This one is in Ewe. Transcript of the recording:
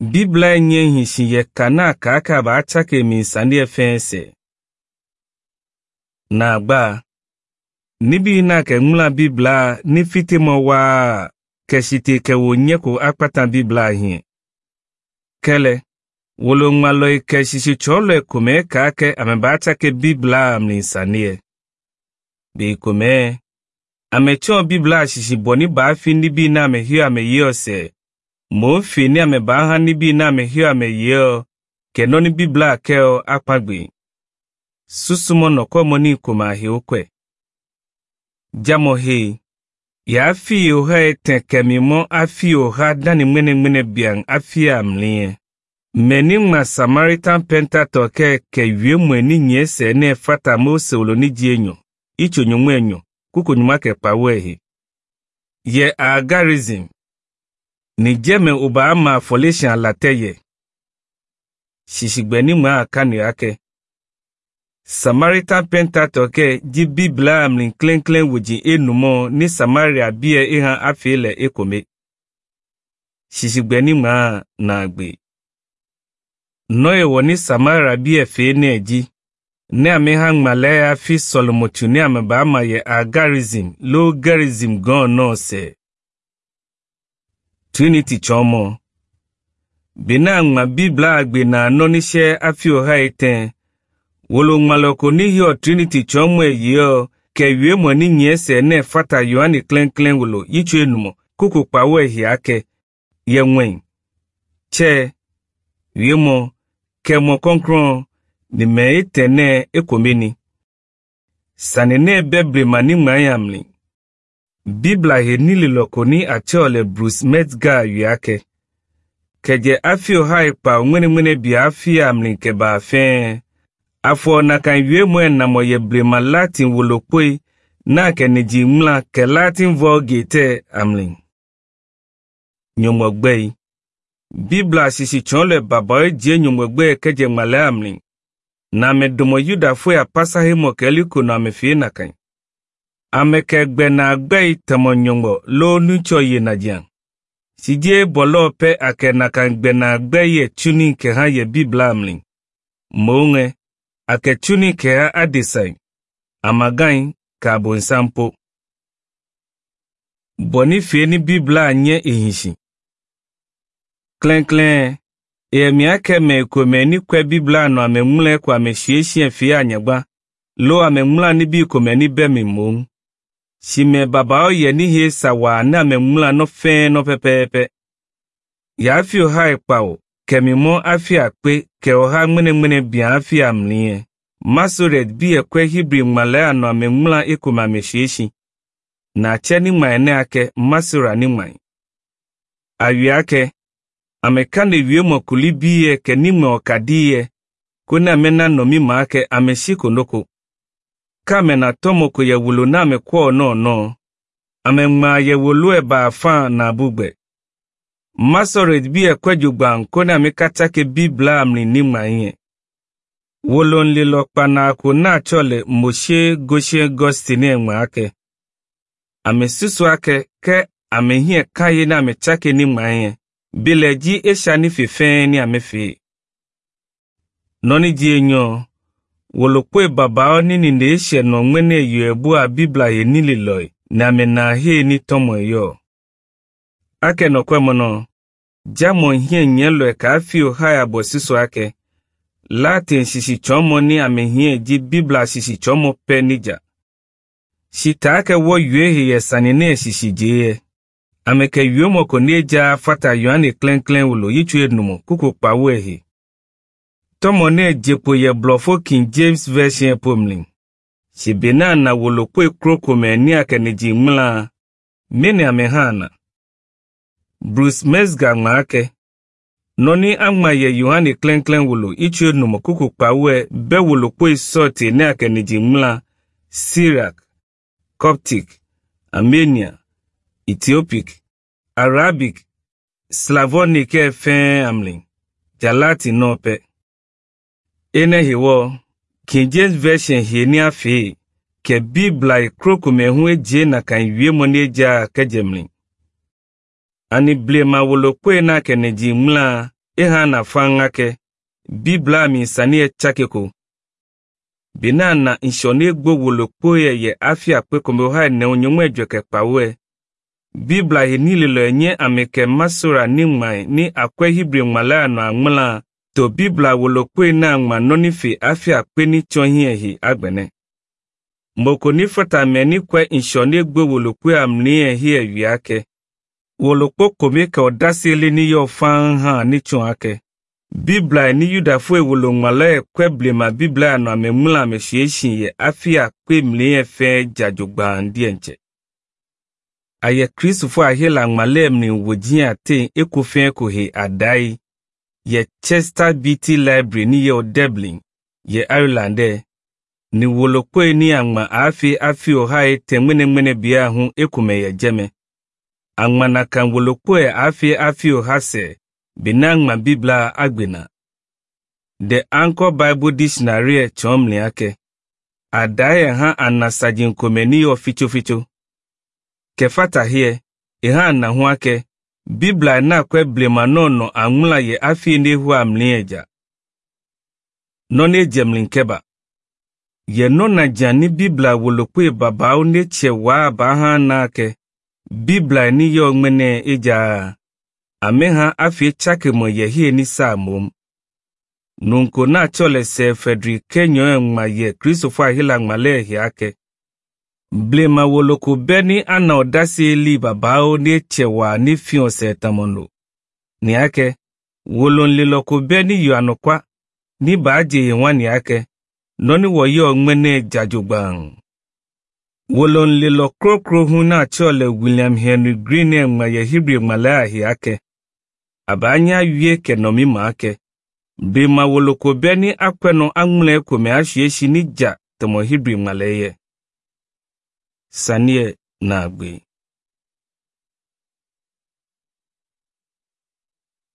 Biblia nye hishi ye kana kaka ba achake mi fense. Na agba nibi na ke ŋmla Biblia ni fiti mo wa keshite ke wo nye ko akpata Biblia hie. Kele wolo ŋmalɔ ke sisi tsɔlɔ kome kake ame ba achake Biblia mi sanie. Be kome ame tsɔ Biblia sisi bɔ ni ba fi nibi na ame hio ame yio se. Mo fi ni ame ba ha nibi na ame hio ame yio ke nɔ ni Biblia ke o akpagbe. Susumo nɔkɔ mo ni koma hi okwe. Jamo he ya fi oha eten kemi mo afi oha dani ŋmene ŋmene bian afi amlie. Meni ŋma Samaritan Pentateuch ke ke yue mwe ni nye se ne fata Mose wolo ni jienyo, icho nyumwe enyo, kuko nyuma ke pawehi. Ye agarism. Ni jeme uba ama folishan lateye. Shishigbe ni mwa akanu yake. Samaritan Pentateuch ke ji Biblia amlin klenklen wuji enumo ni Samaria bie ihan afile ekome. Shishigbe ni mwa na agbe. Noe wo ni Samaria bie fe ne ji. Ne ame ha ŋmalɛ afi sɔlɔmɔtu ne ame ba ama yɛ agarism lo garism gɔn nɔ sɛ. Trinity tsɔmɔ. Bena ŋma Biblia agbe na anɔnisɛ afi oha etɛn. Wolo ŋmalɔko ni hiɔ Trinity tsɔmɔ yiɔ ke yue mɔ ni nyɛ sɛ ne fata Yohane klɛnklɛn wolo yitsu enumɔ koko kpawo ehia ke yɛ ŋwɛn. Tsɛ yue mɔ ke mɔ kɔnkrɔn ni mɛ etɛ nɛ ekomeni. Sani ne bɛ brema ni ŋma yamli. Biblia he nili lɔko ni atsɛ le Bruce Metzger yua ke. Kɛdze afi oha ekpa ŋmene bi afi amli ke ba fɛn. Afɔ nakan yue mɔ enamɔ ye blema Latin wolokpoe na ke nidzi ŋmla ke Latin Vulgate amli. Nyɔmɔgbɛyi. Biblia sisi tsɔn le baba edze nyɔmɔgbɛ kedze ŋmalɛ amli. Na ame domo Yudafoe apasahe mɔ keli ko nɔ ame fie nakan. Ame ke gbe na gbɛyi tɛmɔ nyɔmɔ lo nutsɔ ye nadzia. Sidie bɔlɔ pɛ ake nakan gbe na gbɛyi tsuni ke hã ye Biblia amli. Moŋe ake tsuni ke hã adesai. Amagai ke abonsampo. Bɔni fie ni Biblia nye ehisi. Klɛnklɛn èmi ake me kome ni kwe Biblia nɔ ame ŋlɛ ko ame siesie fie anyagba lo ame ŋlã ni bi kome ni bɛ mi mom. Si me babawo yɛ ni he sawa ne ame ŋlã nɔ fɛn nɔ pɛpɛɛpɛ. Yafi oha ekpawo kemi mɔ afi akpe ke oha ŋmeneŋmene bia afi amlie. Masoret bi ekwe Hebrew ŋmalɛ anɔ ame ŋlã ekome ame siesie. Na tsɛ ni ŋma ene ake Masora ni ŋma. Awia ake ame ka ne wie mɔ kuli biye ke ni ŋmɛ ɔkadi ye ko ne ame na nɔ mi ma ke ame si konoko. Ka ame na tɔmɔ ko ye wolo na ame kɔ nɔ nɔ. Ame ŋma ye wolo eba afa na abugbe. Masoret bi ekwe dzogba ko ne ame katsa ke Biblia amli ni ŋma ye. Wolo nlilɔ kpana ko na tsɔ le Moshe Goshe Gostine ŋma ake. Ame susu ake ke ame hie ka ye na ame tsake ni ŋma ye. Bile dzi esia ni fefɛn ni ame fe. Nɔni dzi enyo, wolokpoe babawo nini ne esia nɔ ŋmene yɔ ebua Biblia ye nili lɔe na ame na he ni tɔmɔ yɔ. Ake nɔkɔe mɔnɔ, dzamɔ hie nye lɔe ka afi oha ya bɔ susu ake. Latin sisi tsɔmɔ ni ame hie dzi Biblia sisi tsɔmɔ pɛ nidza. Sita ake wɔ yue he yɛ sani ne sisi dze ye. Ame ke yue mɔ ko ne dza fata Yohane klɛnklɛn wolo yitsu enumɔ koko kpawo ehe. Tɔmɔ ne dzepo yɛ blɔfo King James Version pomli. Sibe na na wolo kpoe krokome ni ake ne dzi ŋmla, mene ame hã na. Bruce Metzger ŋma ake. Nɔni aŋma yɛ Yohane klɛnklɛn wolo yitsu enumɔ koko kpawoe be wolo kpoe sɔɔte ne ake ne dzi ŋmla Syriac, Coptic, Armenia, Ethiopic, Arabic, Slavonic fɛn amli, Jalati nɔpɛ. Ene hiwɔ, King James Version hie ni afe, ke Biblia krokome hu edze na kan wie mɔ ne dza ke dzemli. Ani blema wolokpoe na ke ne dzi ŋmla, Eha na fan ake Biblia mi sani etsake ko. Bina na nshɔni egbo wolokpo ye ye afi akpe kome ha ne onyomwe dweke kpawe. Biblia hi ni lilo enye ameke masora ni ŋmae ni akwe Hebrew ŋmala anɔ aŋmla to Biblia wolokpo na ŋma nɔnife afi akpe ni tsɔ hiɛ hi agbene. Moko ni fata me ni kwe nshɔni egbo wolokpo amli hi ewia ke. Wolokpo kome ke ɔdasi li ni yɔ fan hã ni tsɔ ake. Biblia ni Yudafo ewolo ŋmala ekwe blema Biblia anɔ ame ŋmla ame siesie ye afi akpe mli efe dzadzogba ndiɛntsɛ. Ayɛ Kristofo ahela ŋmalɛ mli wòdzi ate ekofɛ kohe adai yɛ Chester Beatty Library ni yɛ Dublin yɛ Ireland dɛ. Ni wolokpoe ni aŋma afi afi ohae te ŋmeneŋmene bia hu ekume yɛ dzeme. Aŋma na kan wolokpoe afi afi oha se bena ŋma Biblia agbena. The Anchor Bible Dictionary tsɔm mli ake. Adae hã anasadzi nkome ni yɔ fitsofitso. Kefata hie, eha na hu ake, Biblia na kwe blema nɔnɔ aŋmla ye afi nehu amli edza. Nɔne dzemli nkeba. Ye nɔna dza ni Biblia wolokpoe babawo ne tse waa ba hã na ke. Biblia ni yɔ ŋmene edza. Ame hã afi tsake mo ye hie ni sa mom. Nunko na tsɔ le se Frederick Kenyo ŋma ye Kristofo ahila ŋma le hia ke. Blema woloko be ni ana ɔdasi li babawo ne tse wa ni fiɔ se tamono. Niake, wolonlilɔko be ni yɔ anɔkwa, ni baadze ye wa niake, nɔni wɔ yɔ ŋmene dzadzogbaŋ. Wolonlilɔ krokro hu na tsɔ le William Henry Green ŋma ye Hebrew ŋma le ahiake. Abanya wie ke nɔmi ma ke. Blema woloko be ni akpɛnɔ aŋlɛ kome asiesi ni dza tɔmɔ Hebrew ŋma le ye. Sanie na agbe.